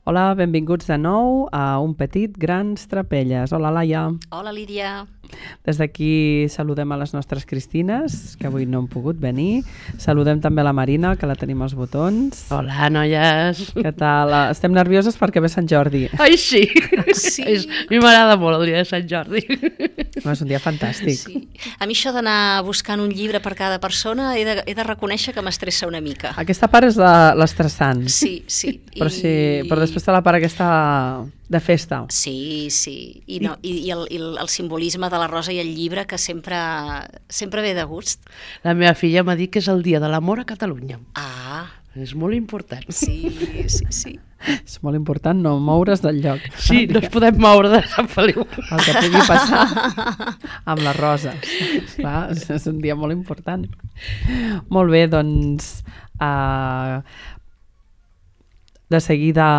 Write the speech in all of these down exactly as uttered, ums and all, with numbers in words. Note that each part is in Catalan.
Hola, benvinguts de nou a Un petit, grans trapelles. Hola, Laia. Hola, Lídia. Des d'aquí saludem a les nostres Cristines, que avui no han pogut venir. Saludem també a la Marina, que la tenim als botons. Hola, noies. Què tal? Estem nervioses perquè ve Sant Jordi. Ai, sí. Sí. És, a mi m'agrada molt el dia de Sant Jordi. No, és un dia fantàstic. Sí. A mi això d'anar buscant un llibre per cada persona he de, he de reconèixer que m'estressa una mica. Aquesta part és la- l'estressant. Sí, sí. Però, sí, però després té la part aquesta de festa. Sí, sí. I, no, i, i, el, i el, el simbolisme de la rosa i el llibre que sempre, sempre ve de gust. La meva filla m'ha dit que és el dia de l'amor a Catalunya. Ah, És molt important. sí, sí, sí. És molt important no moure's del lloc. Sí, no ens podem moure de Sant Feliu. El que pugui passar amb les roses. Clar, és un dia molt important. Molt bé, doncs uh, de seguida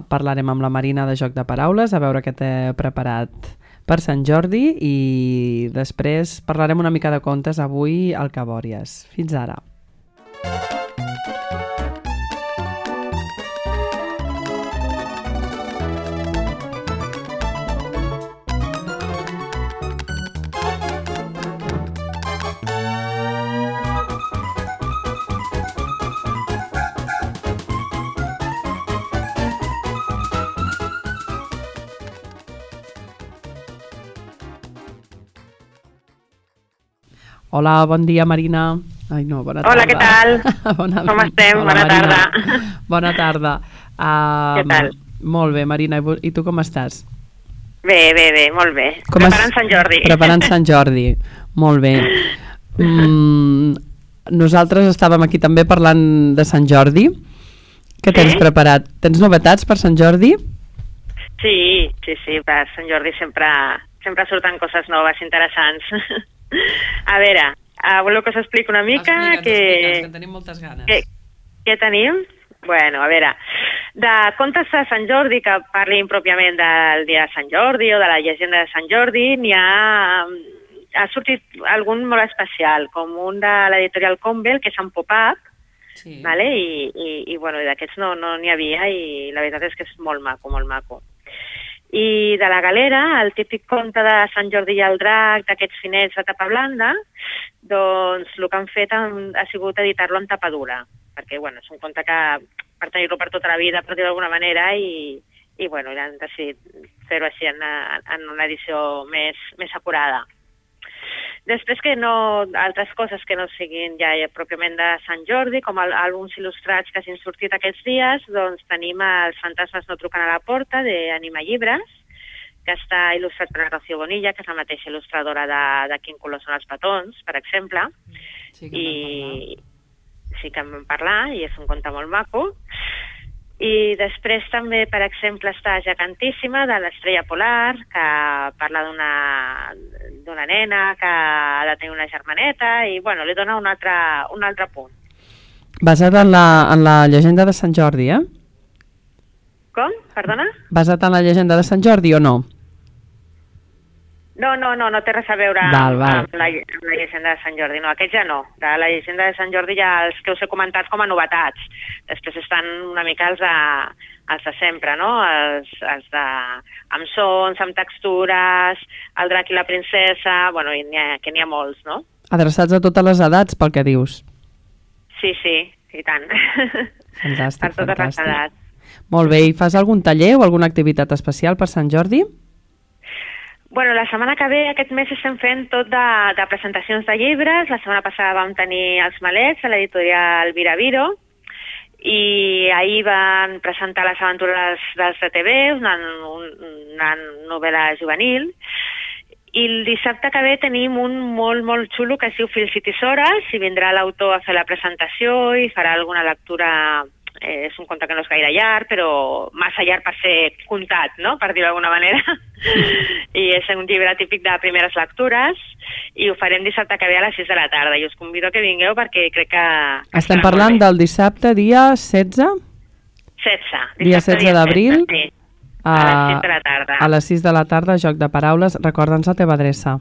parlarem amb la Marina de Joc de Paraules, a veure què té preparat per Sant Jordi, i després parlarem una mica de contes avui al Cabòries. Fins ara. Hola, bon dia, Marina. Ai, no, bona tarda. Hola, què tal? Bona, Com estem? Hola, Bona Marina. tarda. Bona tarda. Uh, Què tal? Molt bé, Marina. I vo- I tu com estàs? Bé, bé, bé, molt bé. Com Preparant es- Sant Jordi. Preparant Sant Jordi. Molt bé. Mm, nosaltres estàvem aquí també parlant de Sant Jordi. Què tens Sí? preparat? Tens novetats per Sant Jordi? Sí, sí, sí, per Sant Jordi sempre, sempre surten coses noves, interessants. A veure, uh, voleu que us expliqui una mica? que... tenim moltes ganes. Què, què tenim? Bueno, a veure, de contes de Sant Jordi que parlin pròpiament del dia de Sant Jordi o de la llegenda de Sant Jordi, n'hi ha, ha sortit algun molt especial, com un de l'editorial Convel, que és en pop-up, Sí. vale? I, i, i, bueno, i d'aquests no no n'hi havia i la veritat és que és molt maco, molt maco. I de la Galera, el típic conte de Sant Jordi i el drac, d'aquests finets de tapa blanda, doncs el que han fet han, ha sigut editar-lo en tapa dura, perquè bueno, és un conte que per tenir-lo per tota la vida, per dir-ho d'alguna manera, i, i bueno, han decidit fer-ho així en, en una edició més, més acurada. Després que no, altres coses que no siguin ja pròpiament de Sant Jordi, com el, àlbums il·lustrats que hagin sortit aquests dies, doncs tenim Els fantasmes no truquen a la porta, d'Anima Llibres, que està il·lustrat per la Rocío Bonilla, que és la mateixa il·lustradora de, de Quin color són els petons, per exemple. Sí, I sí que en vam parlar, i és un conte molt maco. I després també, per exemple, està Gegantíssima, de l'Estrella Polar, que parla d'una d'una nena que ha de tenir una germaneta i, bueno, li dona un altre, un altre punt. Basat en la, en la llegenda de Sant Jordi, eh? Com? Perdona? Basat en la llegenda de Sant Jordi o no? No, no, no, no té res a veure Val, amb, val. amb, la, amb la llegenda de Sant Jordi. No, aquest ja no. De la llegenda de Sant Jordi ja els que us he comentat com a novetats. Després estan una mica els de, els de sempre, no? Els, els de... amb sons, amb textures, el drac i la princesa... Bueno, i n'hi ha, que n'hi ha molts, no? Adreçats a totes les edats, pel que dius. Sí, sí, i tant. Fantàstic, per totes les fantàstic. edats. Molt bé, i fas algun taller o alguna activitat especial per Sant Jordi? Bueno, la setmana que ve, aquest mes, estem fent tot de, de presentacions de llibres. La setmana passada vam tenir Els malets a l'editorial Viraviro i ahir van presentar Les aventures dels de T V, una, una novel·la juvenil. I el dissabte que ve tenim un molt, molt xulo que es diu Fils i Tisores, i vindrà l'autor a fer la presentació i farà alguna lectura. Eh, és un conte que no és gaire llarg, però massa llarg per ser contat, no?, per dir-ho d'alguna manera. I és un llibre típic de primeres lectures, i ho farem dissabte que ve a les sis de la tarda, i us convido que vingueu perquè crec que... Estem parlant del dissabte, dia setze? setze. Dia setze d'abril? Sí, a les sis de la tarda. A les sis de la tarda, Joc de Paraules. Recorda'ns la teva adreça.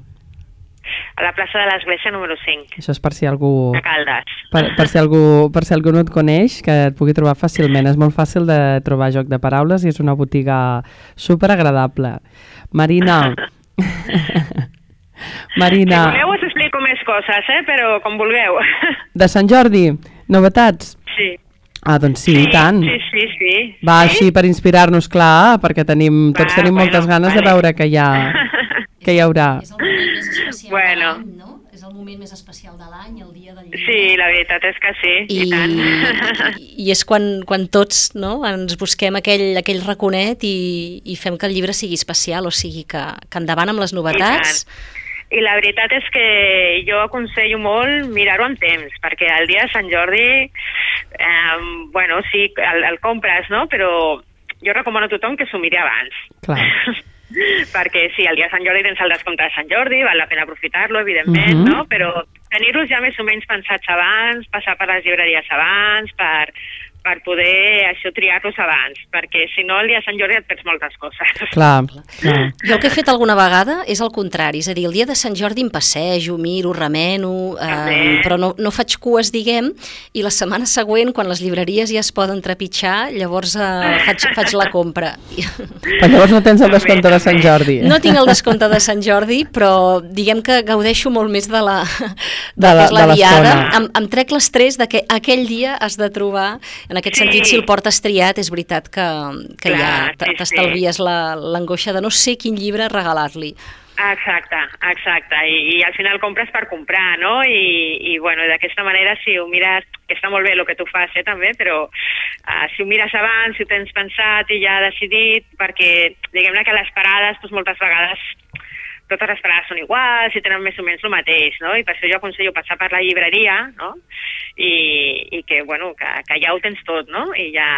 a la plaça de l'Església número cinc, Això és per si algú... de Caldes. Per, per, si algú, per si algú no et coneix, que et pugui trobar fàcilment. És molt fàcil de trobar joc de paraules i és una botiga superagradable. Marina... Marina... Si voleu us explico més coses, eh? Però com vulgueu. De Sant Jordi, novetats? Sí. Ah, doncs sí, sí i tant. Sí, sí, sí. Va, sí? així per inspirar-nos, clar, perquè tenim, tots Va, tenim bueno, moltes ganes vale. de veure que hi ha, que hi haurà. És el moment més especial Bueno. de l'any, no? És el moment més especial de l'any, el dia del llibre. Sí, la veritat és que sí, i, I, i tant. i, i és quan, quan tots, no?, ens busquem aquell, aquell raconet i, i fem que el llibre sigui especial, o sigui que, que endavant amb les novetats. I la veritat és que jo aconsello molt mirar-ho amb temps, perquè el dia de Sant Jordi, eh, bueno, sí, el, el compres, no?, però jo recomano a tothom que s'ho miri abans. Clar. Perquè sí, el dia de Sant Jordi tens el descompte de Sant Jordi, val la pena aprofitar-lo, evidentment, Mhm. no?, però tenir-los ja més o menys pensats abans, passar per les llibreries abans, per, per poder això triar-los abans, perquè si no el dia de Sant Jordi et perds moltes coses. Clar, clar. Jo el que he fet alguna vegada és el contrari, és a dir, el dia de Sant Jordi em passejo, miro, remeno, eh, També. però no, no faig cues, diguem, i la setmana següent, quan les llibreries ja es poden trepitjar, llavors eh, faig, faig la compra. Però llavors no tens el descompte de Sant Jordi. No tinc el descompte de Sant Jordi, però diguem que gaudeixo molt més de la, De la- que és la de l'estona. diada. Em, em trec l'estrès de que aquell dia has de trobar, en aquest Sí. sentit, si el portes triat, és veritat que, que Clar, ja sí, sí. t'estalvies la- l'angoixa de no sé quin llibre regalar-li. Exacte, exacte, I, i al final compres per comprar, no? I, i bueno, d'aquesta manera si ho mires, que està molt bé el que tu fas, eh, també, però uh, si ho mires abans, si ho tens pensat i ja decidit, perquè diguem-ne que les parades, doncs moltes vegades totes les parades són iguals i tenen més o menys el mateix, no? I per això jo aconsello passar per la llibreria, no? I, i que, bueno, que, que ja ho tens tot, no? I ja...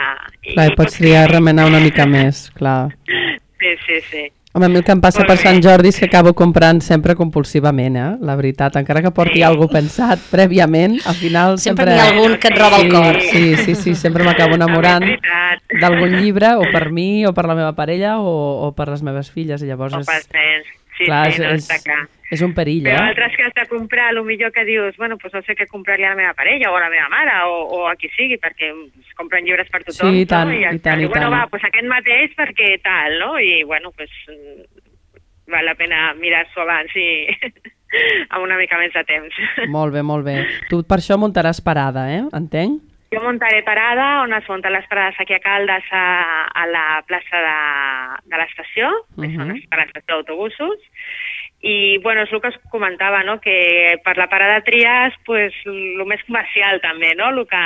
I, Clar, i pots triar a remenar una mica més, clar. Sí, sí, sí. Home, a mi el que em passa Molt per bé. Sant Jordi és que acabo comprant sempre compulsivament, eh? La veritat, encara que porti Sí. alguna cosa pensat prèviament, al final Sempre sempre... n'hi ha algun que et roba el sí, cor. Sí, sí, sí, sempre m'acabo enamorant També és veritat. d'algun llibre, o per mi, o per la meva parella, o, o per les meves filles, i llavors O és... pels nens. Sí, clar, sí, no, és, està clar. és un perill, Però eh? altres que has de comprar, el millor que dius, bueno, doncs no sé què compraria a la meva parella o a la meva mare o, o a qui sigui, perquè es compren llibres per tothom. Sí, i tant, no? I, i tant, i diu, bueno, tant. va, doncs aquest mateix perquè tal, no? I, bueno, doncs val la pena mirar-s'ho abans i amb una mica més de temps. Molt bé, molt bé. Tu per això muntaràs parada, eh? Entenc? Jo muntaré parada, on es munten les parades aquí a Caldes, a, a la plaça de, de l'estació, que Mhm. són les parades d'autobusos, i bueno, és el que us comentava, no? Que per la parada tries pues, el més comercial també, no? El que,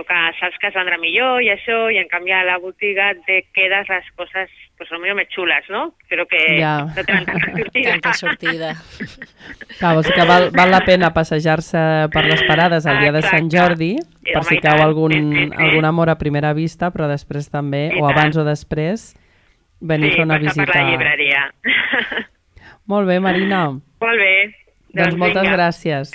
el que saps que es vendrà millor i això, i en canvi a la botiga te quedes les coses pues, potser més xules, no? Però que Ja. no tenen tanta sortida. Tanta sortida. Clar, vols dir que val, val la pena passejar-se per les parades el dia de Sant Exacte. Jordi, Sí, per home, si i cau tant. algun, Sí, sí, sí. algun amor a primera vista, però després també, I o tant. abans o després, venir a Sí, fer una passar visita. per la llibreria. Molt bé, Marina. Molt bé. Doncs moltes vinga. gràcies.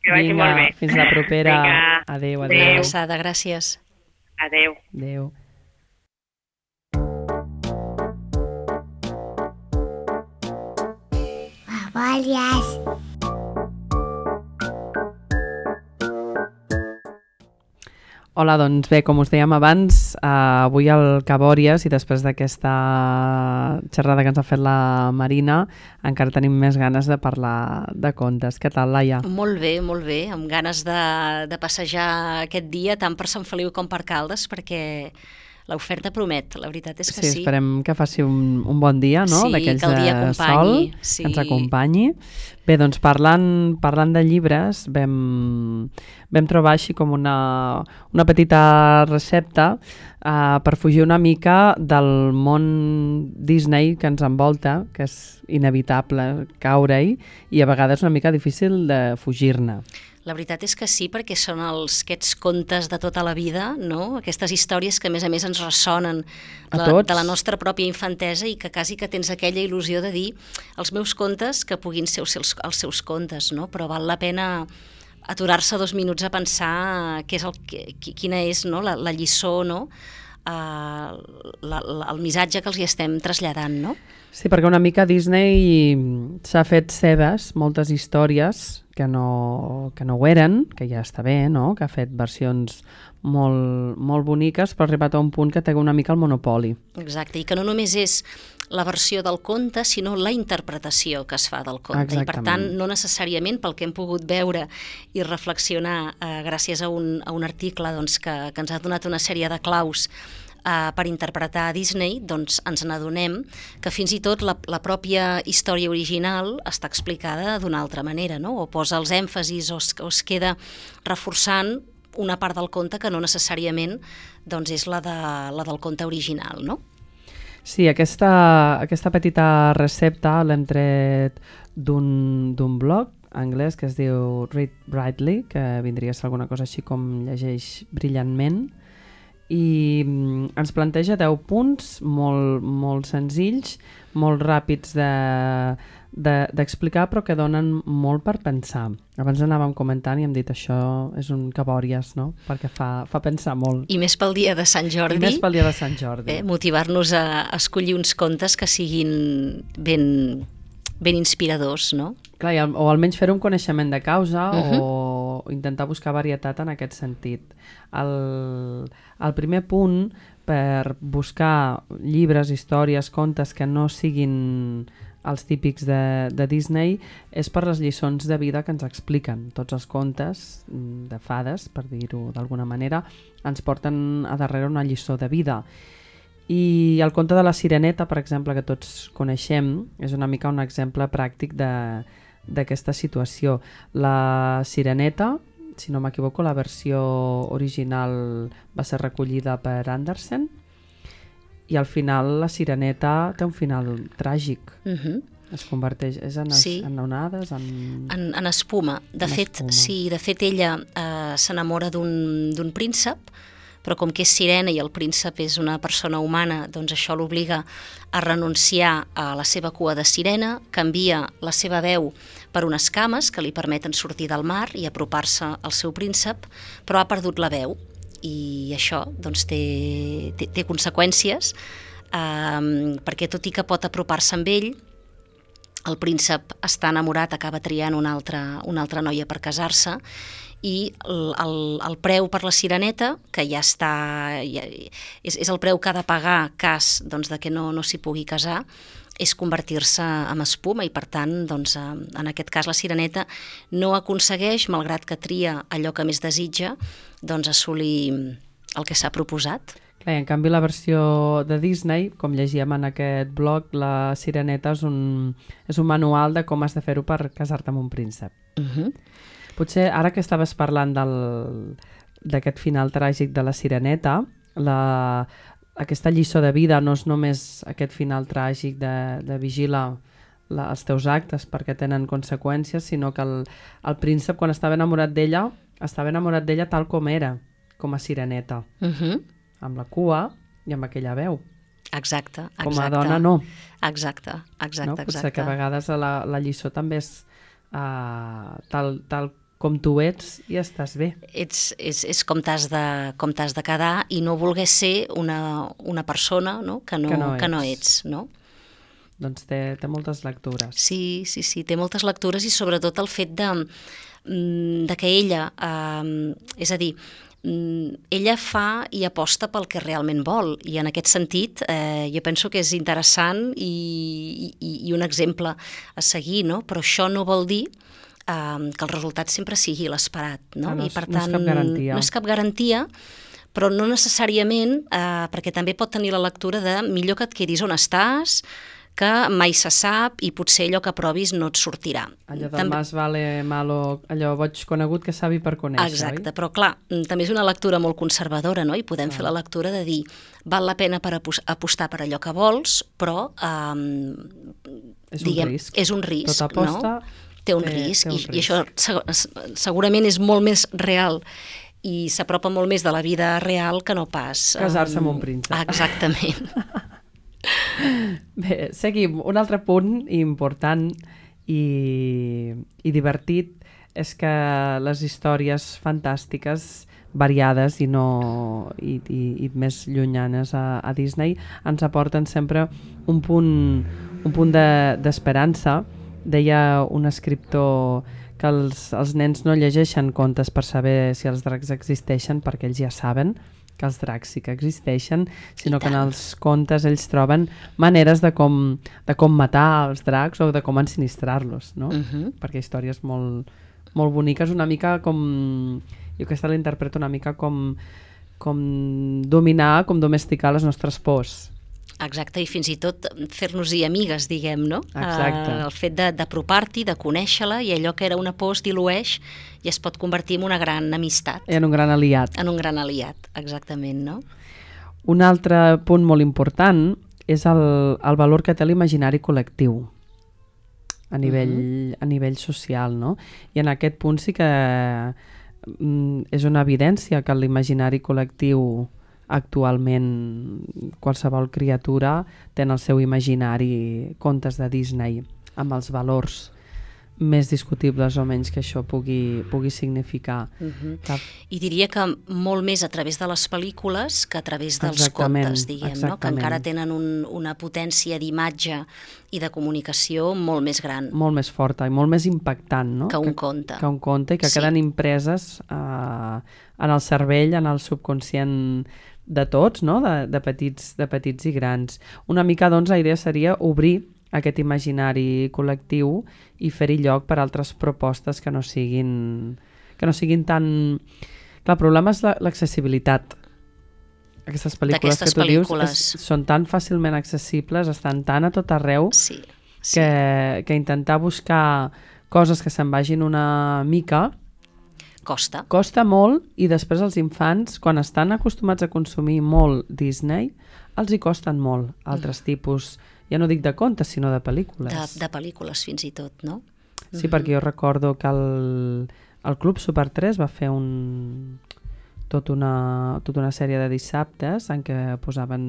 Que vagi Vinga, molt bé. fins la propera. Vinga. Adéu, Una adéu. Adéu. abraçada, gràcies. Adéu. Adéu. Babalias. Hola, doncs bé, com us dèiem abans, eh, avui al Cabòries i després d'aquesta xerrada que ens ha fet la Marina, encara tenim més ganes de parlar de contes. Què tal, Laia? Molt bé, molt bé, amb ganes de, de passejar aquest dia tant per Sant Feliu com per Caldes, perquè l'oferta promet, la veritat és que sí. Sí, esperem que faci un, un bon dia, no? Sí, D'aquells que el dia de acompanyi, sol, sí. que ens acompanyi. Bé, doncs parlant, parlant de llibres, vam, vam trobar així com una, una petita recepta uh, per fugir una mica del món Disney que ens envolta, que és inevitable caure-hi, i a vegades una mica difícil de fugir-ne. La veritat és que sí, perquè són els, aquests contes de tota la vida, no? Aquestes històries que a més a més ens ressonen A de, tots. de la nostra pròpia infantesa i que quasi que tens aquella il·lusió de dir els meus contes que puguin ser els seus, els seus contes, no? Però val la pena aturar-se dos minuts a pensar què és el, que, quina és, no? la, la lliçó, no? uh, la, la, el missatge que els hi estem traslladant, no? Sí, perquè una mica Disney s'ha fet seves moltes històries que no, que no ho eren, que ja està bé, no? Que ha fet versions molt, molt boniques, però ha arribat a un punt que té una mica el monopoli. Exacte, i que no només és la versió del conte, sinó la interpretació que es fa del conte. Exactament. I per tant, no necessàriament pel que hem pogut veure i reflexionar eh, gràcies a un, a un article doncs, que, que ens ha donat una sèrie de claus Uh, per interpretar a Disney, doncs ens n'adonem que fins i tot la, la pròpia història original està explicada d'una altra manera, no? O posa els èmfasis o es, o es queda reforçant una part del conte que no necessàriament doncs, és la, de, la del conte original, no? Sí, aquesta, aquesta petita recepta l'hem tret d'un d'un blog anglès que es diu Read Brightly, que vindria a ser alguna cosa així com llegeix brillantment, i ens planteja deu punts molt, molt senzills, molt ràpids de, de, d'explicar, però que donen molt per pensar. Abans anàvem comentant i hem dit això és un cabòries, no? Perquè fa, fa pensar molt. I més pel dia de Sant Jordi. I més pel dia de Sant Jordi. Eh, motivar-nos a escollir uns contes que siguin ben, ben inspiradors, no? Clar, i al, o almenys fer un coneixement de causa Uh-huh. o intentar buscar varietat en aquest sentit. El, el primer punt per buscar llibres, històries, contes que no siguin els típics de, de Disney és per les lliçons de vida que ens expliquen. Tots els contes de fades, per dir-ho d'alguna manera, ens porten a darrere una lliçó de vida. I el conte de la Sireneta, per exemple, que tots coneixem, és una mica un exemple pràctic de d'aquesta situació. La Sireneta, si no m'equivoco, la versió original va ser recollida per Andersen i al final la Sireneta té un final tràgic. Uh-huh. Es converteix és en, es, Sí. en onades, en... En, en espuma. De En fet, espuma. sí, de fet ella eh, s'enamora d'un d'un príncep, però com que és sirena i el príncep és una persona humana, doncs això l'obliga a renunciar a la seva cua de sirena, canvia la seva veu per unes cames que li permeten sortir del mar i apropar-se al seu príncep, però ha perdut la veu i això doncs, té, té, té conseqüències eh, perquè tot i que pot apropar-se amb ell, el príncep està enamorat, acaba triant una altra, una altra noia per casar-se i el, el, el preu per la Sireneta, que ja està, ja, és, és el preu que ha de pagar cas doncs, de que no, no s'hi pugui casar, és convertir-se en espuma i per tant, doncs, en aquest cas la Sireneta no aconsegueix, malgrat que tria allò que més desitja, doncs assolir el que s'ha proposat. Clar, i en canvi la versió de Disney, com llegíem en aquest blog, la Sireneta és un, és un manual de com has de fer-ho per casar-te amb un príncep. Uh-huh. Potser ara que estaves parlant del, d'aquest final tràgic de la Sireneta, la, aquesta lliçó de vida no és només aquest final tràgic de, de vigila la, els teus actes perquè tenen conseqüències, sinó que el, el príncep, quan estava enamorat d'ella, estava enamorat d'ella tal com era, com a Sireneta, Uh-huh. amb la cua i amb aquella veu. Exacte, exacte. Com a dona no. Exacte, exacte, no? Potser exacte. que a vegades la, la lliçó també és uh, tal, tal com tu ets i estàs bé. Ets, és, és com t'has de, com t'has de quedar i no volguer ser una, una persona no? Que, no, Que no que no ets. ets. No? Doncs té, té moltes lectures. Sí, sí, sí, té moltes lectures i sobretot el fet de, mm, de que ella, eh, és a dir, mm, ella fa i aposta pel que realment vol i en aquest sentit eh, jo penso que és interessant i, i, i un exemple a seguir, no? Però això no vol dir eh, que el resultat sempre sigui l'esperat, no? Ah, no I és- per no és tant, cap garantia. No és cap garantia, però no necessàriament, eh, perquè també pot tenir la lectura de millor que et quedis on estàs, que mai se sap i potser allò que provis no et sortirà. Allò del També- mas vale malo, allò boig conegut que savi per conèixer, Exacte, oi? però clar, mm, també és una lectura molt conservadora, no? I podem fer la lectura de dir, val la pena per apos- apostar per allò que vols, però um, És un diguem, risc. és un risc, Tota aposta no? Té un té- risc, té un i, i risc. això seg- segurament és molt més real i s'apropa molt més de la vida real que no pas... Casar-se amb um, un príncep. Exactament. Bé, seguim. Un altre punt important i, i divertit és que les històries fantàstiques variades i, no, i, i, i més llunyanes a, a Disney, ens aporten sempre un punt, un punt d'esperança. De, deia un escriptor que els, els nens no llegeixen contes per saber si els dracs existeixen, perquè ells ja saben que els dracs sí que existeixen, sinó que en els contes ells troben maneres de com, de com matar els dracs o de com ensinistrar-los, no? Uh-huh. Perquè històries molt, molt boniques, una mica com... Jo aquesta l'interpreto una mica com, com dominar, com domesticar les nostres pors. Exacte, i fins i tot fer-nos-hi amigues, diguem, no? Exacte. Uh, el fet d'apropar-t'hi, de, de conèixer-la, i allò que era una por es dilueix i es pot convertir en una gran amistat. En un gran aliat. En un gran aliat, exactament, no? Un altre punt molt important és el, el valor que té l'imaginari col·lectiu a nivell, uh-huh. a nivell social, no? I en aquest punt sí que mm, és una evidència que l'imaginari col·lectiu actualment qualsevol criatura té en el seu imaginari contes de Disney amb els valors més discutibles o menys que això pugui, pugui significar. Uh-huh. que... I diria que molt més a través de les pel·lícules que a través dels exactament, contes, diguem, no? Que encara tenen un, una potència d'imatge i de comunicació molt més gran. Molt més forta i molt més impactant, no? Que un que, conte. Que un conte i que sí. queden impreses eh, en el cervell, en el subconscient de tots, no? de, de, petits, de petits i grans. Una mica, doncs, la idea seria obrir aquest imaginari col·lectiu i fer-hi lloc per altres propostes que no siguin, que no siguin tan... Clar, el problema és l'accessibilitat. Aquestes pel·lícules que tu pel·lícules. dius és, són tan fàcilment accessibles, estan tan a tot arreu, sí, sí. Que, que intentar buscar coses que se'n vagin una mica costa. Costa molt, i després els infants, quan estan acostumats a consumir molt Disney, els hi costen molt altres mm. tipus, ja no dic de contes, sinó de pel·lícules. De, de pel·lícules, fins i tot, no? Sí, mm-hmm. perquè jo recordo que el, el Club Super tres va fer un, tot una, tota una sèrie de dissabtes en què posaven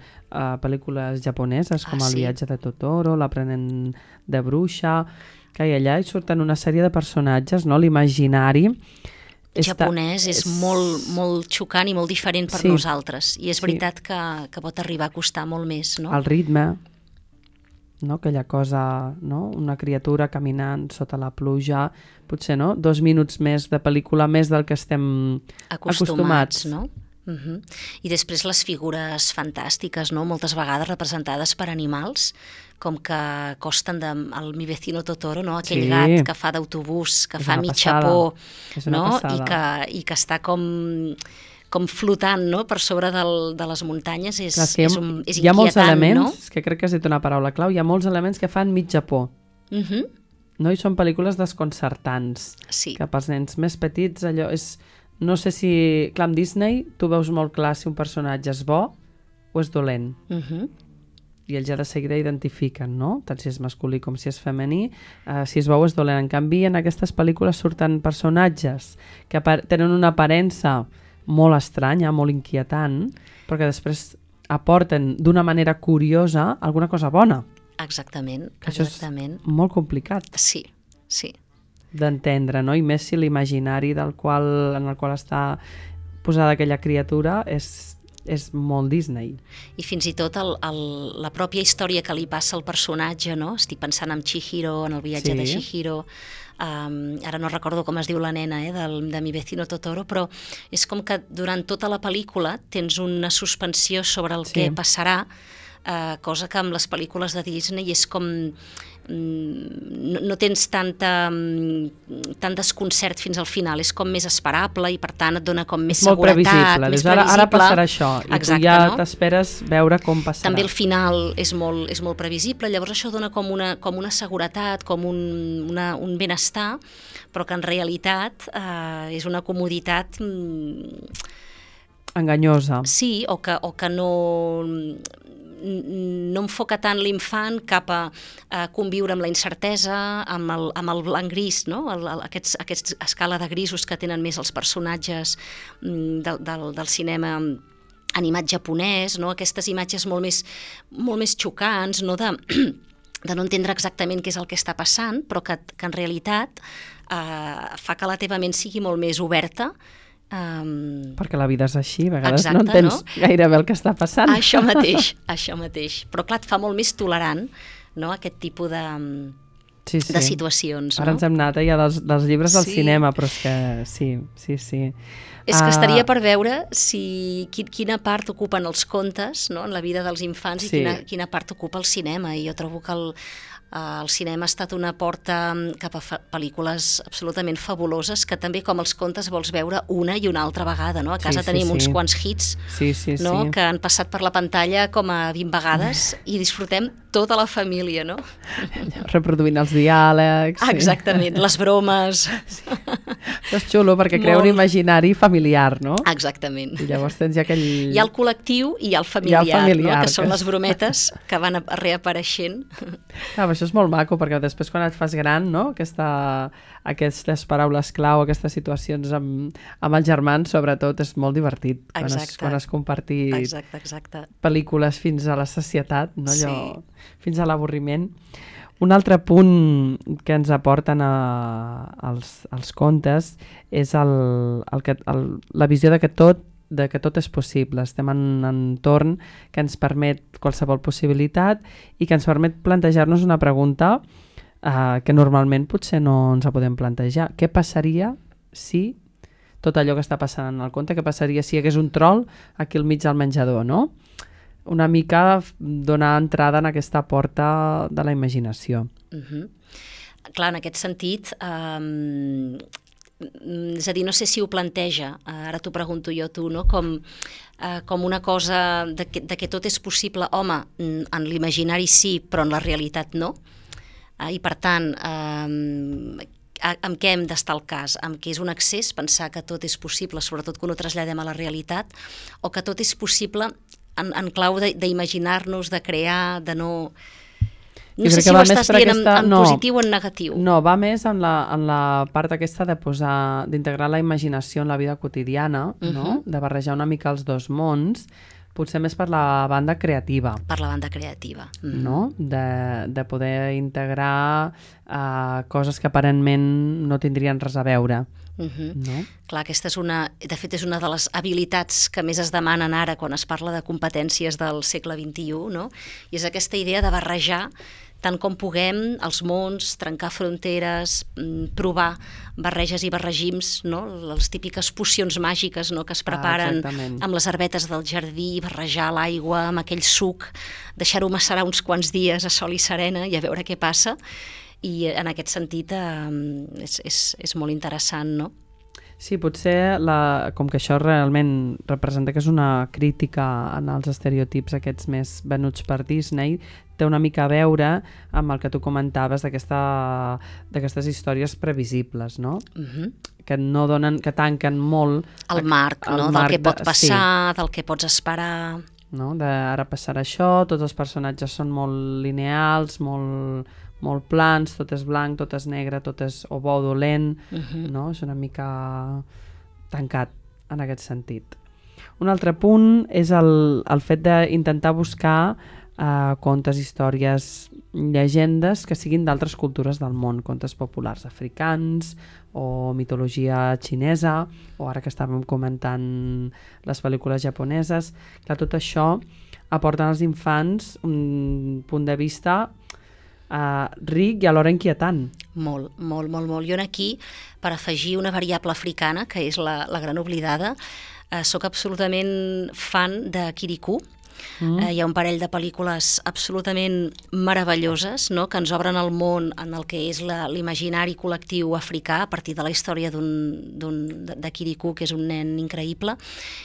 uh, pel·lícules japoneses, com ah, El sí? viatge de Totoro, L'aprenent de bruixa, que allà hi surten una sèrie de personatges, no? L'imaginari japonès és, és molt, molt xocant i molt diferent per sí, nosaltres, i és sí. veritat que, que pot arribar a costar molt més, no? El ritme, no? Aquella cosa, no? Una criatura caminant sota la pluja, potser no? Dos minuts més de pel·lícula, més del que estem acostumats, acostumats no? Uh-huh. I després les figures fantàstiques, no? Moltes vegades representades per animals, com que costen de, el Mi vecino Totoro, no? Aquell sí. gat que fa d'autobús, que és fa mig xapó, no? I, que, i que està com, com flotant, no? Per sobre del, de les muntanyes, és, Clar, és, és, un, és hi ha molts inquietant, elements, no? És que crec que has dit una paraula clau, hi ha molts elements que fan mig Japó. Uh-huh. No? I són pel·lícules desconcertants, sí. que pels nens més petits allò és... No sé si... Clar, amb Disney tu veus molt clar si un personatge és bo o és dolent. Uh-huh. I ells ja de seguida identifiquen, no? Tant si és masculí com si és femení, uh, si és bo o és dolent. En canvi, en aquestes pel·lícules surten personatges que tenen una aparença molt estranya, molt inquietant, però que després aporten d'una manera curiosa alguna cosa bona. Exactament, que exactament. Això és molt complicat. Sí, sí. D'entendre, no? I més si l'imaginari del qual, en el qual està posada aquella criatura és, és molt Disney. I fins i tot el, el, la pròpia història que li passa al personatge, no? Estic pensant en Chihiro, en el viatge sí. de Chihiro, um, ara no recordo com es diu la nena eh, del, de Mi vecino Totoro, però és com que durant tota la pel·lícula tens una suspensió sobre el sí. que passarà, uh, cosa que amb les pel·lícules de Disney és com... No, no tens tanta, tant desconcert fins al final, és com més esperable i per tant et dona com més és molt seguretat, previsible. més Dius, ara, previsible. Ara passarà això i exacte, tu ja no? t'esperes veure com passarà. També el final és molt, és molt previsible, llavors això dona com una, com una seguretat, com un, una, un benestar, però que en realitat eh, és una comoditat... enganyosa. Sí, o que, o que no... no enfoca tant l'infant cap a, a conviure amb la incertesa, amb el, amb el blanc-gris, no? el, el, aquests, aquests escala de grisos que tenen més els personatges del, del, del cinema animat japonès, no? Aquestes imatges molt més, molt més xocants, no? de, de no entendre exactament què és el que està passant, però que, que en realitat eh, fa que la teva ment sigui molt més oberta Um, Perquè la vida és així, a vegades Exacte, no entens no? gaire bé el que està passant. Això mateix, això mateix. Però clar, et fa molt més tolerant, no?, aquest tipus de, sí, sí. de situacions. Ara no? ens hem anat ja dels, dels llibres al Sí. cinema, però és que sí, sí, sí. És que Ah, estaria per veure si, qui, quina part ocupen els contes, no?, en la vida dels infants, Sí. i quina, quina part ocupa el cinema. I jo trobo que el, el cinema ha estat una porta cap a fa- pel·lícules absolutament fabuloses, que també, com els contes, vols veure una i una altra vegada. No? A casa Sí, sí, tenim sí. uns quants hits, Sí, sí, no?, sí. que han passat per la pantalla com a vint vegades i disfrutem tota la família, no? Reproduint els diàlegs. sí. Exactament, les bromes. Això és xulo perquè crea un Molt. imaginari familiar, no? Exactament. I llavors tens ja aquell... Hi ha el col·lectiu i hi ha el familiar, familiar, no? Que són que- les brometes que van a- reapareixent. Ah, això és molt maco, perquè després quan et fas gran, no? Aquesta, aquestes paraules clau, aquestes situacions amb, amb els germans, sobretot, és molt divertit. Quan has, Exacte. quan has compartit Exacte, exacte. pel·lícules fins a la sacietat, no? Allò, Sí. fins a l'avorriment. Un altre punt que ens aporten a, als, als contes és el, el que, el, la visió de que tot de que tot és possible. Estem en un entorn que ens permet qualsevol possibilitat i que ens permet plantejar-nos una pregunta eh, que normalment potser no ens la podem plantejar. Què passaria si tot allò que està passant en el conte, què passaria si hi hagués un troll aquí al mig del menjador, no? Una mica donar entrada en aquesta porta de la imaginació. Uh -huh. Clar, en aquest sentit, um, és a dir, no sé si ho planteja, ara t'ho pregunto jo a tu, no? com, uh, com una cosa de que, de que tot és possible, home, en l'imaginari sí, però en la realitat no. Uh, I per tant, um, amb què hem d'estar al cas? Amb què és un excés pensar que tot és possible, sobretot quan ho traslladem a la realitat, o que tot és possible en, en clau d'imaginar-nos, de crear, de no... No Jo sé crec si que ho va més estàs per dient aquesta- en, en no. positiu o en negatiu. No, va més en la, en la part aquesta de posar, d'integrar la imaginació en la vida quotidiana, uh-huh. no? De barrejar una mica els dos mons, potser més per la banda creativa, Per la banda creativa. Mm. no? De, de poder integrar uh, coses que aparentment no tindrien res a veure, Uh -huh. no? Clar, aquesta és una, de fet és una de les habilitats que més es demanen ara quan es parla de competències del segle vint-i-u, no? I és aquesta idea de barrejar tant com puguem els mons, trencar fronteres, provar barreges i barregims, no? Les típiques pocions màgiques, no?, que es preparen exactament. amb les herbetes del jardí, barrejar l'aigua amb aquell suc, deixar-ho macerar uns quants dies a sol i serena i a veure què passa. I en aquest sentit eh, és, és, és molt interessant, no? Sí, potser, la, com que això realment representa que és una crítica en els estereotips aquests més venuts per Disney, té una mica a veure amb el que tu comentaves d'aquesta, d'aquestes històries previsibles, no? Uh-huh. Que no donen, que tanquen molt El marc, el no? marc Del que pot de- passar, del que pots esperar... no? De ara passarà això, tots els personatges són molt lineals, molt, molt plans, tot és blanc, tot és negre, tot és o bo o dolent, Uh-huh. no? És una mica tancat en aquest sentit. Un altre punt és el, el fet d'intentar buscar eh, contes, històries, llegendes que siguin d'altres cultures del món, contes populars africans o mitologia xinesa, o ara que estàvem comentant les pel·lícules japoneses. Clar, tot això aporta als infants un punt de vista Uh, ric i alhora inquietant. Molt, molt, molt, molt. Jo aquí, per afegir una variable africana, que és la, la gran oblidada, eh, sóc absolutament fan de Kirikou. Mm. Eh, hi ha un parell de pel·lícules absolutament meravelloses, no?, que ens obren el món en el que és la, l'imaginari col·lectiu africà a partir de la història d'un, d'un, de, de Kirikou, que és un nen increïble,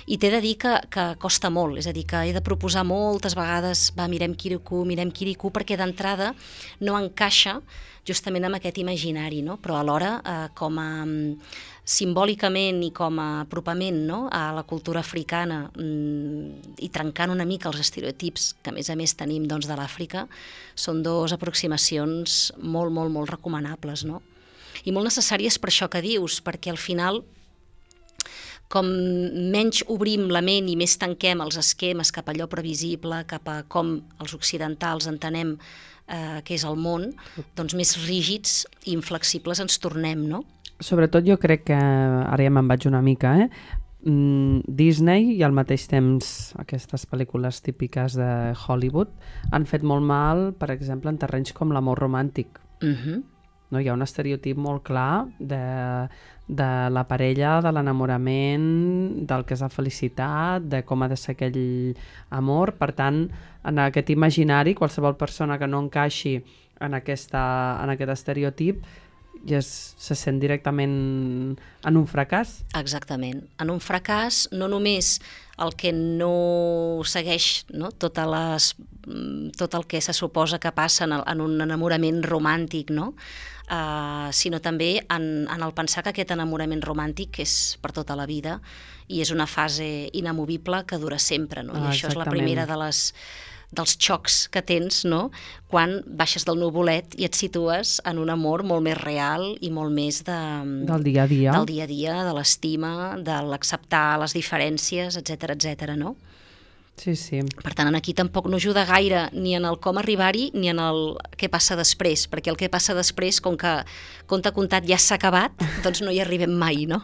i t'he de dir que, que costa molt, és a dir, que he de proposar moltes vegades, va, mirem Kirikou, mirem Kirikou, perquè d'entrada no encaixa justament amb aquest imaginari, no? Però alhora eh, com a simbòlicament i com a apropament, no?, a la cultura africana mm, i trencant una mica els estereotips que a més a més tenim, doncs, de l'Àfrica, són dues aproximacions molt, molt, molt recomanables, no? I molt necessàries per això que dius, perquè al final com menys obrim la ment i més tanquem els esquemes cap a allò previsible, cap a com els occidentals entenem eh, que és el món, doncs més rígids i inflexibles ens tornem, no? sobretot jo crec que, ara ja me'n vaig una mica, eh? Mm, Disney i al mateix temps aquestes pel·lícules típiques de Hollywood han fet molt mal, per exemple, en terrenys com l'amor romàntic. Uh-huh. No? Hi ha un estereotip molt clar de, de la parella, de l'enamorament, del que és la felicitat, de com ha de ser aquell amor. Per tant, en aquest imaginari, qualsevol persona que no encaixi en, aquesta, en aquest estereotip i es, se sent directament en un fracàs. Exactament. En un fracàs, no només el que no segueix, no? Totes les, tot el que se suposa que passa en, el, en un enamorament romàntic, no? Uh, sinó també en, en el pensar que aquest enamorament romàntic és per tota la vida i és una fase inamovible que dura sempre, no? I Ah, això és la exactament. primera de les dels xocs que tens, no? Quan baixes del nuvolet i et situes en un amor molt més real i molt més de, Del dia a dia. del dia a dia, de l'estima, de l'acceptar les diferències, etcètera, etcètera, no? Sí, sí. Per tant, aquí tampoc no ajuda gaire ni en el com arribar-hi ni en el què passa després, perquè el què passa després, com que conte contat ja s'ha acabat, doncs no hi arribem mai, no?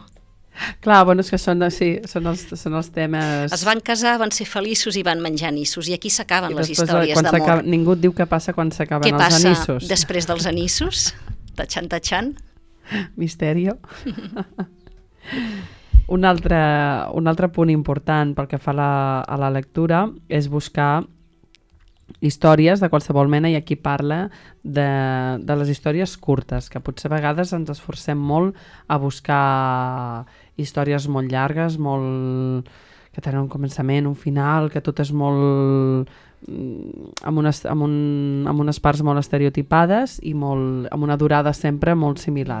Clar, bueno, és que són, sí, són, els, són els temes... Es van casar, van ser feliços i van menjar anissos, i aquí s'acaben I les després, històries quan d'amor. s'acaba- Ningú et diu què passa quan s'acaben Què els passa anissos. després dels anissos? Tachan, tachan. Misterio. un, altre, un altre punt important pel que fa a la, a la lectura és buscar històries de qualsevol mena, i aquí parla de, de les històries curtes, que potser a vegades ens esforcem molt a buscar històries molt llargues, molt que tenen un començament, un final, que tot és molt amb unes, amb, un, amb unes parts molt estereotipades i molt, amb una durada sempre molt similar.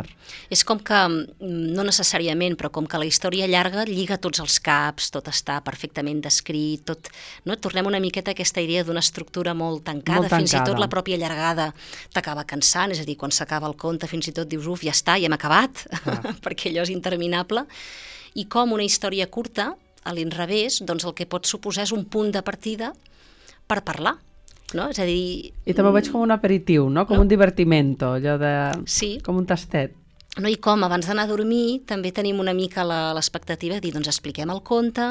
És com que, no necessàriament, però com que la història llarga lliga tots els caps, tot està perfectament descrit, tot, no? Tornem una miqueta a aquesta idea d'una estructura molt tancada, Molt fins i tancada. tot la pròpia llargada t'acaba cansant, és a dir, quan s'acaba el conte fins i tot dius, uf, ja està, ja hem acabat, perquè allò és interminable, i com una història curta, a l'inrevés, doncs el que pot suposar és un punt de partida per parlar, no? És a dir... I també ho veig com un aperitiu, no? Com No? un divertimento, allò de... Sí. Com un tastet. No, i com abans d'anar a dormir també tenim una mica la- l'expectativa de dir, doncs expliquem el conte,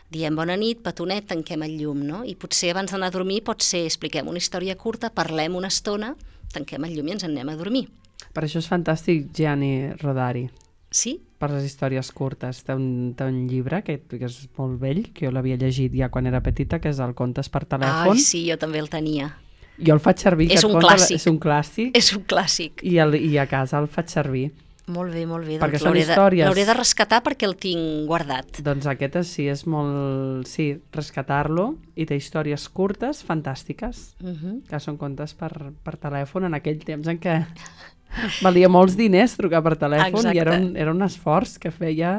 diem bona nit, petonet, tanquem el llum, no? I potser abans d'anar a dormir pot ser expliquem una història curta, parlem una estona, tanquem el llum i ens en anem a dormir. Per això és fantàstic Gianni Rodari, Sí? per les històries curtes. Té un, té un llibre que, que és molt vell, que jo l'havia llegit ja quan era petita, que és el Contes per telèfon. Ai, sí, jo també el tenia. Jo el faig servir. És aquest un conte, clàssic. És un clàssic. És un clàssic. I, el, I a casa el faig servir. Molt bé, molt bé. Perquè Doncs són l'hauré de, històries. l'hauré de rescatar perquè el tinc guardat. Doncs aquest és, sí, és molt... Sí, rescatar-lo, i té històries curtes, fantàstiques, Uh -huh. que són contes per, per telèfon en aquell temps en què valia molts diners trucar per telèfon. Exacte. I era un, era un esforç que feia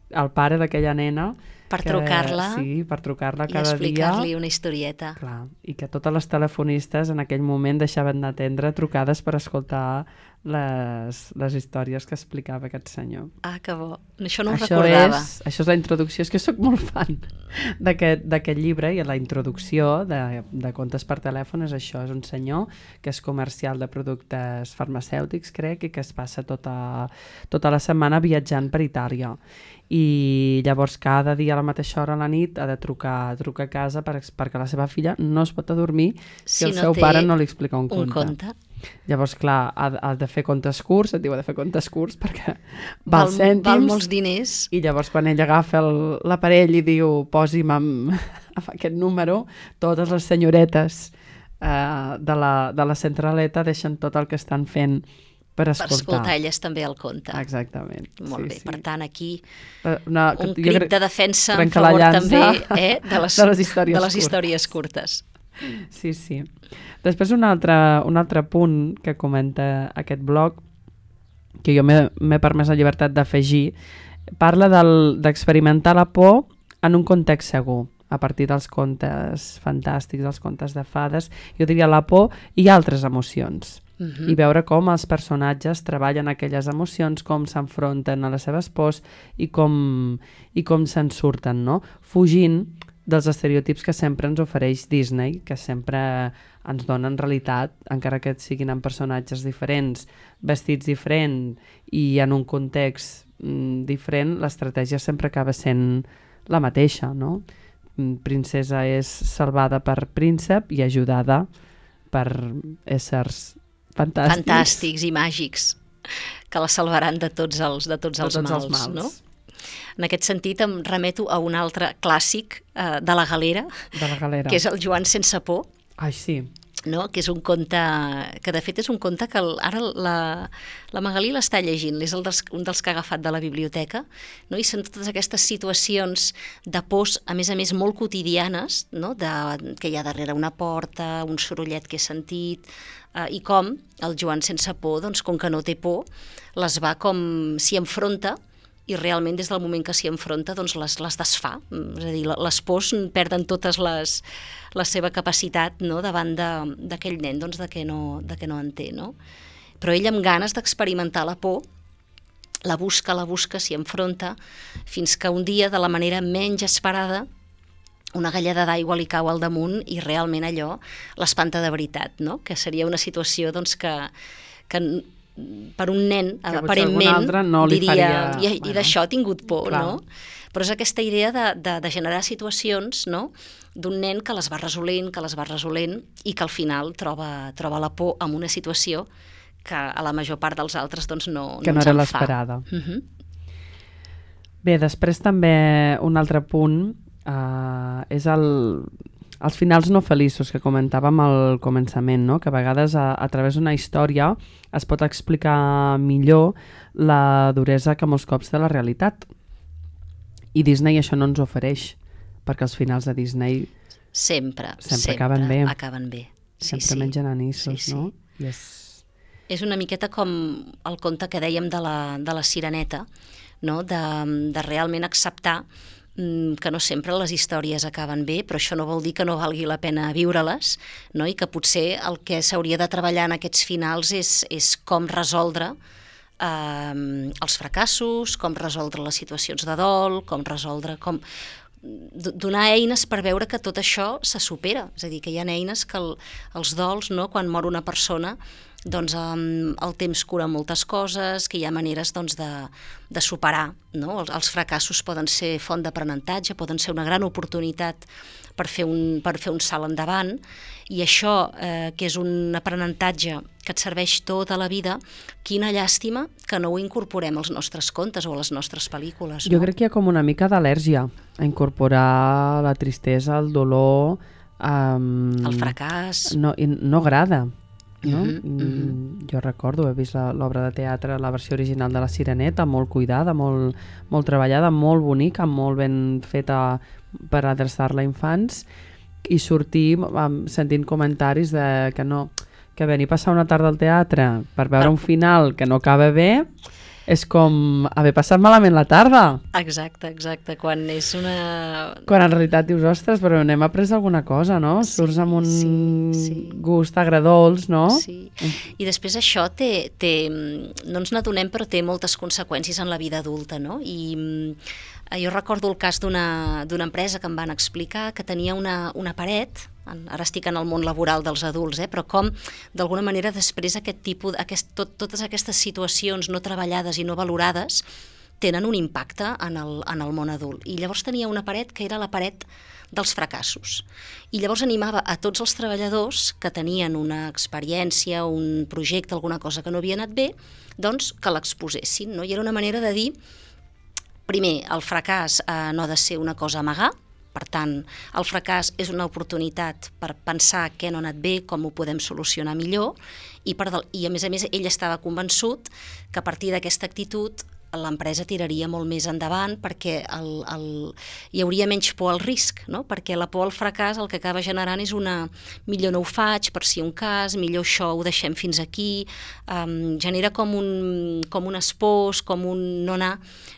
el pare d'aquella nena. Per que, trucar-la Sí, per trucar-la i cada dia. explicar-li una historieta. Clar, i que totes les telefonistes en aquell moment deixaven d'atendre trucades per escoltar les, les històries que explicava aquest senyor. Ah, que bo. Això no ho Això recordava. és, això és la introducció. És que sóc molt fan d'aquest d'aquest llibre, i la introducció de, de contes per telèfon és això. És un senyor que és comercial de productes farmacèutics, crec, i que es passa tota, tota la setmana viatjant per Itàlia. I llavors cada dia a la mateixa hora a la nit ha de trucar, trucar a casa per, perquè la seva filla no es pot adormir si, Si el no seu té pare no li explica un Un conte. conte. Llavors, clar, ha, ha de fer contes curts, et diu ha de fer contes curts perquè Val, val cèntims. val molts diners. I llavors quan ell agafa el- l'aparell i diu posi'm amb, amb aquest número, totes les senyoretes eh, de, la, de la centraleta deixen tot el que estan fent per Per escoltar. escoltar elles també el conte. Exactament. Molt sí, bé, sí. per tant aquí Una, un jo crit crec- de defensa en trencar la favor llança també eh, de, les, de les històries de les curtes. històries curtes. Sí, sí. Després un altre, un altre punt que comenta aquest blog, que jo m'he m'he permès la llibertat d'afegir, parla del- d'experimentar la por en un context segur, a partir dels contes fantàstics, dels contes de fades. Jo diria la por i altres emocions. Uh -huh. I veure com els personatges treballen aquelles emocions, com s'enfronten a les seves pors i com, i com se'n surten, no? Fugint dels estereotips que sempre ens ofereix Disney, que sempre ens dona en realitat, encara que siguin en personatges diferents, vestits diferents i en un context mm, diferent, l'estratègia sempre acaba sent la mateixa, no? Princesa és salvada per príncep i ajudada per éssers fantàstics. Fantàstics i màgics, que la salvaran de tots els, de tots, tots els, mals, els mals, no? En aquest sentit em remeto a un altre clàssic eh, de la Galera, de la Galera, que és el Joan sense por. Ai, sí. No? Que és un conte, que de fet és un conte que el, ara la, la Magalí l'està llegint, és el dels, un dels que ha agafat de la biblioteca, no? I són totes aquestes situacions de pors, a més a més molt quotidianes, no? De, que hi ha darrere una porta, un sorollet que he sentit, eh, i com el Joan sense por, doncs, com que no té por, les va com s'hi enfronta, i realment des del moment que s'hi enfronta doncs les, les desfà, és a dir, les pors perden totes les, la seva capacitat, no? Davant d'aquell nen doncs, de, què no, de què no en té, no? Però ell amb ganes d'experimentar la por la busca, la busca, s'hi enfronta, fins que un dia, de la manera menys esperada, una galleda d'aigua li cau al damunt i realment allò l'espanta de veritat, no? Que seria una situació doncs, que, que per un nen, que aparentment, no li diria, faria... i, i bueno, d'això ha tingut por, clar. No? Però és aquesta idea de, de, de generar situacions, no? D'un nen que les va resolent, que les va resolent, i que al final troba, troba la por en una situació que a la major part dels altres doncs, no, que no, no ens era en fa. l'esperada. Uh-huh. Bé, després també un altre punt eh, és el, els finals no feliços que comentàvem al començament, no? Que a vegades a, a través d'una història es pot explicar millor la duresa que molts cops de la realitat. I Disney això no ens ofereix, perquè els finals de Disney sempre, sempre, sempre acaben bé. Acaben bé. Sí, sempre sí. mengen anissos, sí, sí. no? I és... és una miqueta com el conte que dèiem de la, de la Sireneta, no? de, de realment acceptar que no sempre les històries acaben bé, però això no vol dir que no valgui la pena viure-les, no? I que potser el que s'hauria de treballar en aquests finals és, és com resoldre eh, els fracassos, com resoldre les situacions de dol, com resoldre... com donar eines per veure que tot això se supera, és a dir, que hi ha eines que el, els dols, no? Quan mor una persona, doncs um, el temps cura moltes coses, que hi ha maneres doncs, de, de superar, no? Els, els fracassos poden ser font d'aprenentatge, poden ser una gran oportunitat per fer un, per fer un salt endavant, i això, eh, que és un aprenentatge que et serveix tota la vida, quina llàstima que no ho incorporem als nostres contes o a les nostres pel·lícules. Jo no? crec que hi ha com una mica d'al·lèrgia a incorporar la tristesa, el dolor... Um, el fracàs... No, i no agrada. No? Uh-huh, uh-huh. Jo recordo, he vist l'obra de teatre, la versió original de la Sireneta, molt cuidada, molt, molt treballada, molt bonica, molt ben feta per adreçar-la a infants, i sortir um, sentint comentaris de que no, que venir a passar una tarda al teatre per veure un final que no acaba bé és com haver passat malament la tarda. Exacte, exacte, quan és una... Quan en realitat dius, ostres, però n'hem après alguna cosa, no? Sí, surts amb un sí, sí. gust agradols, no? Sí, i després això té, té, no ens n'adonem, però té moltes conseqüències en la vida adulta, no? I jo recordo el cas d'una d'una empresa que em van explicar que tenia una, una paret, ara estic en el món laboral dels adults, eh, però com d'alguna manera després aquest tipus, aquest, tot, totes aquestes situacions no treballades i no valorades tenen un impacte en el, en el món adult. I llavors tenia una paret que era la paret dels fracassos. I llavors animava a tots els treballadors que tenien una experiència, un projecte, alguna cosa que no havia anat bé, doncs que l'exposessin, no? I era una manera de dir, primer, el fracàs eh, no ha de ser una cosa a amagar. Per tant, el fracàs és una oportunitat per pensar què no ha anat bé, com ho podem solucionar millor, i, per del, i a més a més ell estava convençut que a partir d'aquesta actitud l'empresa tiraria molt més endavant perquè el, el, hi hauria menys por al risc, no? Perquè la por al fracàs el que acaba generant és una millor no ho faig, per si un cas, millor això ho deixem fins aquí, um, genera com un, com un espòs, com un no anar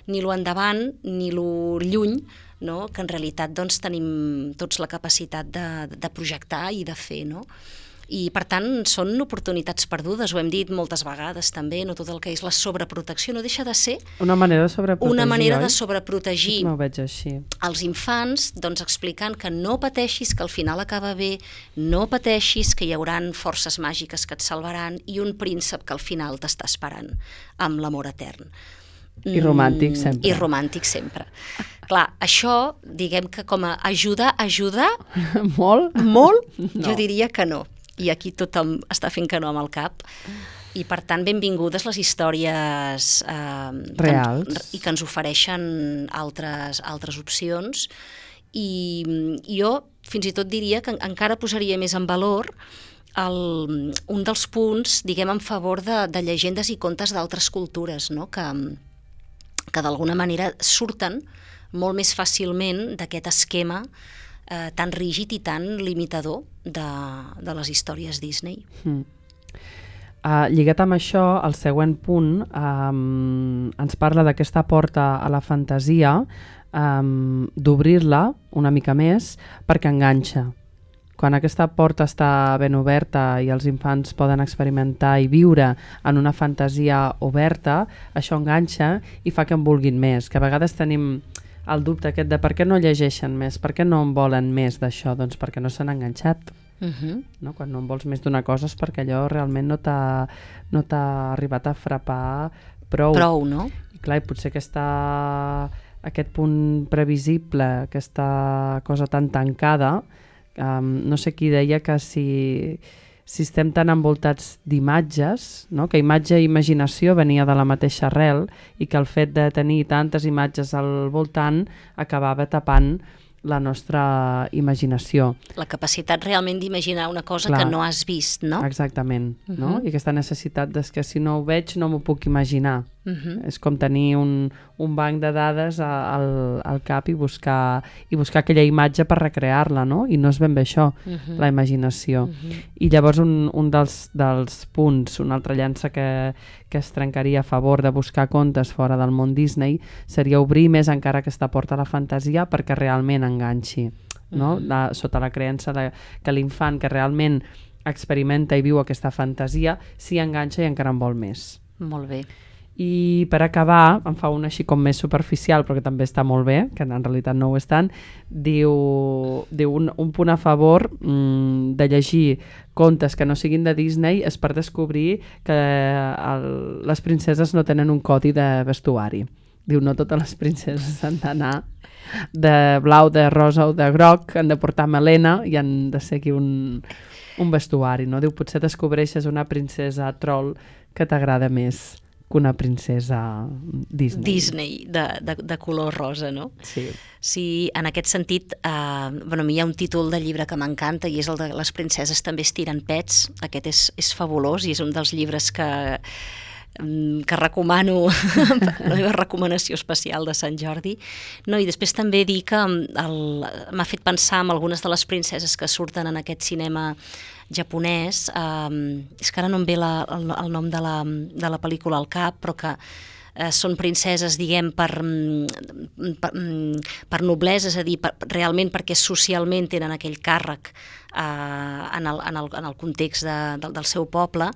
ni lo endavant ni lo lluny, no? Que en realitat doncs, tenim tots la capacitat de, de projectar i de fer, no? I, per tant, són oportunitats perdudes, ho hem dit moltes vegades també, no tot el que és la sobreprotecció, no deixa de ser una manera de sobreprotegir, una manera oi? de sobreprotegir No ho veig així. els infants, doncs explicant que no pateixis, que al final acaba bé, no pateixis, que hi hauran forces màgiques que et salvaran i un príncep que al final t'està esperant amb l'amor etern. I romàntic sempre. I romàntic sempre. Clar, això, diguem que com a ajuda, ajuda Molt? molt, No. jo diria que no. I aquí tothom està fent que no amb el cap. I, per tant, benvingudes les històries eh, reals que, i que ens ofereixen altres, altres opcions. I, I jo fins i tot diria que encara posaria més en valor el, un dels punts, diguem, en favor de, de llegendes i contes d'altres cultures, no? que, que d'alguna manera surten molt més fàcilment d'aquest esquema eh, tan rígid i tan limitador de, de les històries Disney. Mm. Uh, lligat amb això, el següent punt um, ens parla d'aquesta porta a la fantasia, um, d'obrir-la una mica més perquè enganxa. Quan aquesta porta està ben oberta i els infants poden experimentar i viure en una fantasia oberta, això enganxa i fa que en vulguin més, que a vegades tenim el dubte aquest de per què no llegeixen més, per què no en volen més d'això, doncs perquè no s'han enganxat. Uh-huh. No? Quan no en vols més d'una cosa és perquè allò realment no t'ha no t'ha arribat a frapar prou. Prou, no? I clar, i potser aquesta, aquest punt previsible, aquesta cosa tan tancada, um, no sé qui deia que si, si estem tan envoltats d'imatges, no? Que imatge i imaginació venia de la mateixa arrel i que el fet de tenir tantes imatges al voltant acabava tapant la nostra imaginació. La capacitat realment d'imaginar una cosa Clar. que no has vist, no? Exactament, Uh-huh. no? I aquesta necessitat de que si no ho veig no m'ho puc imaginar. Uh-huh. És com tenir un, un banc de dades a- al, al cap i buscar, i buscar aquella imatge per recrear-la, no? I no és ben bé això, Uh-huh. la imaginació. Uh-huh. I llavors un, un dels, dels punts, una altra llança que, que es trencaria a favor de buscar contes fora del món Disney seria obrir més encara aquesta porta a la fantasia perquè realment enganxi, no? Mhm. La, sota la creença de, que l'infant que realment experimenta i viu aquesta fantasia s'hi enganxa i encara en vol més. Molt bé. I per acabar, em fa una així com més superficial, però que també està molt bé, que en realitat no ho és tant, diu, diu un, un punt a favor mmm, de llegir contes que no siguin de Disney és per descobrir que el, les princeses no tenen un codi de vestuari. Diu, no totes les princeses han d'anar de blau, de rosa o de groc, han de portar melena i han de seguir un, un vestuari, no? Diu, potser descobreixes una princesa troll que t'agrada més que una princesa Disney. Disney, de, de, de color rosa, no? Sí. Sí, en aquest sentit, eh, bueno, a mi hi ha un títol de llibre que m'encanta i és el de Les princeses també estiren pets. Aquest és, és fabulós i és un dels llibres que, que recomano, la meva recomanació especial de Sant Jordi. No, i després també dir que el, m'ha fet pensar en algunes de les princeses que surten en aquest cinema japonès, um, és que ara no em ve la, el, el nom de la, de la pel·lícula al cap, però que eh, són princeses, diguem, per, per, per noblesa, és a dir, per, realment perquè socialment tenen aquell càrrec eh, en, el, en, el, en el context de, del, del seu poble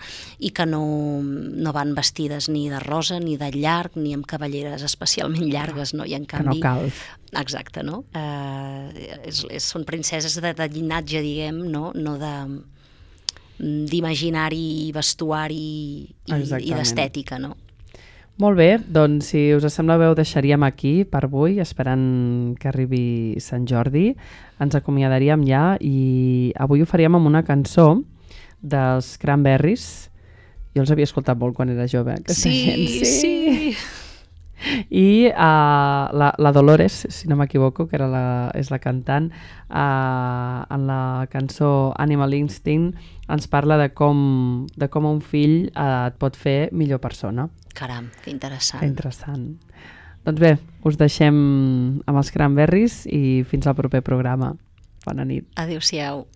i que no, no van vestides ni de rosa, ni de llarg, ni amb cavalleres especialment llargues, no? I en canvi... Que no cal. Exacte, no? Eh, és, és, són princeses de, de llinatge, diguem, no, no de d'imaginari, vestuari i, i d'estètica, no? Molt bé, doncs si us sembla bé ho deixaríem aquí per avui, esperant que arribi Sant Jordi. Ens acomiadaríem ja i avui ho faríem amb una cançó dels Cranberries. Jo els havia escoltat molt quan era jove. Sí, gent. sí, sí. I uh, la, la Dolores, si no m'equivoco, que era la, és la cantant, uh, en la cançó Animal Instinct ens parla de com, de com un fill uh, et pot fer millor persona. Caram, que interessant. Que interessant. Doncs bé, us deixem amb els Cranberries i fins al proper programa. Bona nit. Adéu-siau.